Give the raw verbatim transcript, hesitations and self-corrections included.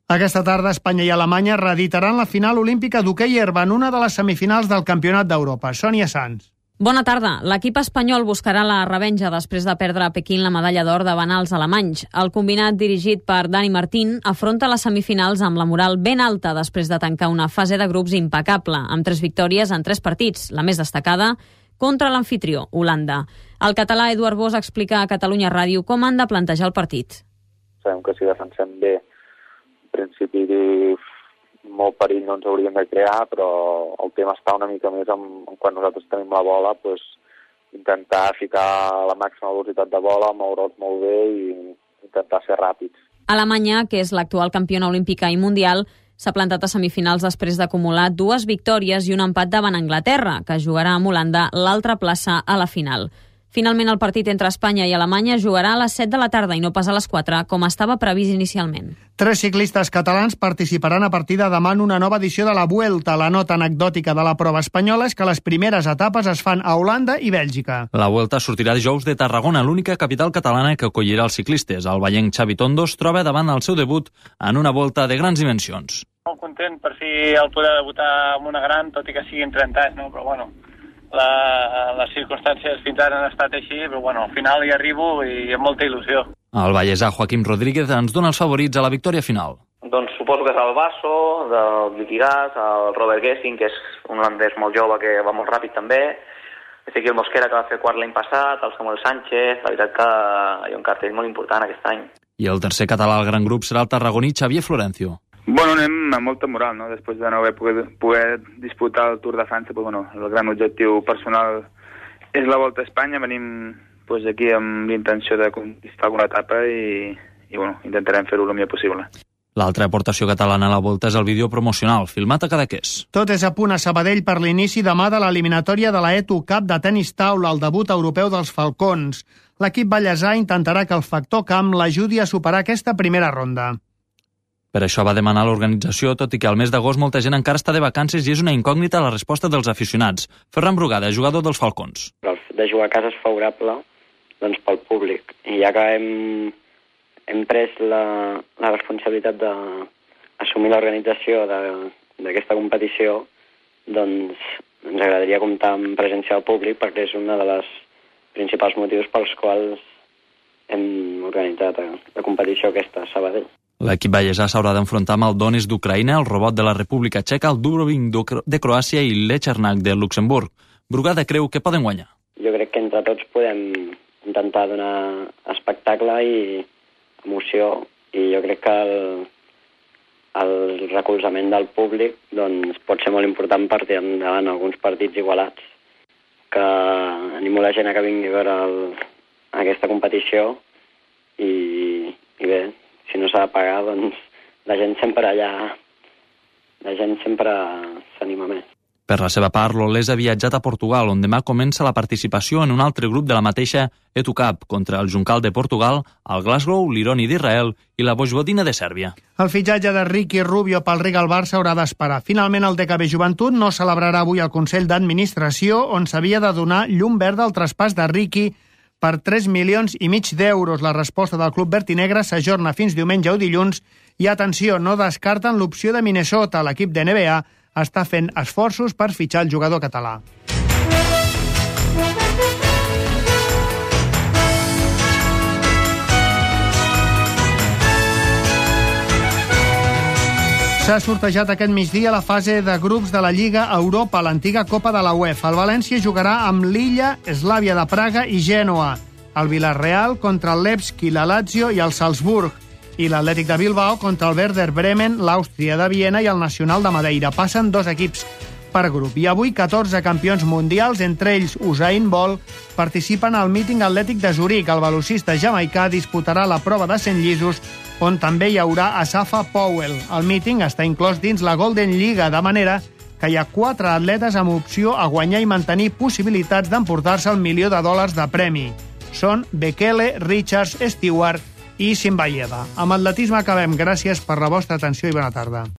Aquesta tarda, Espanya i Alemanya reeditaran la final olímpica d'hoquei herba en una de les semifinals del Campionat d'Europa. Sònia Sanz. Bona tarda. L'equip espanyol buscarà la revenja després de perdre a Pequín la medalla d'or davant els alemanys. El combinat dirigit per Dani Martín afronta les semifinals amb la moral ben alta després de tancar una fase de grups impecable, amb tres victòries en tres partits, la més destacada contra l'anfitrió, Holanda. El català Eduard Bosch explica a Catalunya Ràdio com han de plantejar el partit. Sabem que si defensem bé, en principi molt perill no ens hauríem de crear, però el tema està una mica més en, en quan nosaltres tenim la bola, doncs, intentar ficar la màxima velocitat de bola, moure'ls molt bé i intentar ser ràpids. Alemanya, que és l'actual campiona olímpica i mundial, s'ha plantat a semifinals després d'acumular dues victòries i un empat davant Anglaterra, que jugarà amb Holanda l'altra plaça a la final. Finalment, el partit entre Espanya i Alemanya jugarà a les set de la tarda i no pas a les quatre, com estava previst inicialment. Tres ciclistes catalans participaran a partir de demà en una nova edició de la Vuelta. La nota anecdòtica de la prova espanyola és que les primeres etapes es fan a Holanda i Bèlgica. La Vuelta sortirà dijous de Tarragona, l'única capital catalana que acollirà els ciclistes. El vallenc Xavi Tondo es troba davant el seu debut en una Volta de grans dimensions. Molt content per fi el poder debutar amb una gran, tot i que siguin trenta anys, no? Però bueno, La, les circumstàncies fins ara han estat així, però bueno, al final hi arribo i amb molta il·lusió. El vallesà Joaquim Rodríguez ens dona els favorits a la victòria final. Doncs suposo que és el Basso, del Liquigas, el Robert Gessing, que és un holandès molt jove que va molt ràpid també, Ezequiel Mosquera, que va fer quart l'any passat, el Samuel Sánchez, la veritat que hi ha un cartell molt important aquest any. I el tercer català al gran grup serà el tarragoní Xavier Florencio. Bueno, anem amb molta moral, no? Després de no haver poder, poder disputar el Tour de França, pues, bueno, el gran objectiu personal és la Volta a Espanya. Venim pues, aquí amb l'intenció de conquistar alguna etapa i, i bueno, intentarem fer-ho el millor possible. L'altra aportació catalana a la Volta és el vídeo promocional, filmat a Cadaqués. Tot és a punt a Sabadell per l'inici demà de l'eliminatòria de la Eto Cup de tenis taula, el debut europeu dels Falcons. L'equip ballesà intentarà que el factor camp l'ajudi a superar aquesta primera ronda. Per això va demanar l'organització, tot i que al mes d'agost molta gent encara està de vacances i és una incògnita la resposta dels aficionats. Ferran Brugada, jugador dels Falcons. El fet de jugar a casa és favorable doncs, pel públic. I ja que hem, hem pres la, la responsabilitat d'assumir l'organització d'aquesta competició, doncs ens agradaria comptar amb presència del públic perquè és una de les principals motius pels quals hem organitzat la competició aquesta a Sabadell. L'equip ballesà s'haurà d'enfrontar amb el Donetsk d'Ucraïna, el Robot de la República Txeca, el Dubrovnik de Croàcia i l'Echernak de Luxemburg. Brugada creu que poden guanyar. Jo crec que entre tots podem intentar donar espectacle i emoció, i jo crec que el, el recolzament del públic doncs, pot ser molt important per tirar endavant alguns partits igualats. Que animo la gent a que vingui a veure el, aquesta competició i, i bé, si no s'ha de pagar, doncs la gent sempre allà, la gent sempre s'anima més. Per la seva part, l'Olés ha viatjat a Portugal, on demà comença la participació en un altre grup de la mateixa Eto Cup, contra el Juncal de Portugal, el Glasgow, l'Ironi d'Israel i la Vojvodina de Sèrbia. El fitxatge de Ricky Rubio pel Riga al Barça haurà d'esperar. Finalment, el D K B Joventut no celebrarà avui el Consell d'Administració, on s'havia de donar llum verda al traspàs de Ricky per tres milions i mig d'euros. La resposta del club verd i negre s'ajorna fins diumenge o dilluns i, atenció, no descarten l'opció de Minnesota. L'equip de N B A està fent esforços per fitxar el jugador català. S'ha sortejat aquest migdia la fase de grups de la Lliga Europa, l'antiga Copa de la UEFA. El València jugarà amb l'Illa, Slavia de Praga i Gènova. El Villarreal contra el Levski, la Lazio i el Salzburg. I l'Atlètic de Bilbao contra el Werder Bremen, l'Àustria de Viena i el Nacional de Madeira. Passen dos equips per grup. I avui catorze campions mundials, entre ells Usain Bolt, participen al míting atlètic de Zuric. El velocista jamaicà disputarà la prova de cent llisos, on també hi haurà Asafa Powell. El míting està inclòs dins la Golden Lliga, de manera que hi ha quatre atletes amb opció a guanyar i mantenir possibilitats d'emportar-se el milió de dòlars de premi. Són Bekele, Richards, Stewart i Simbayeva. Amb atletisme acabem. Gràcies per la vostra atenció i bona tarda.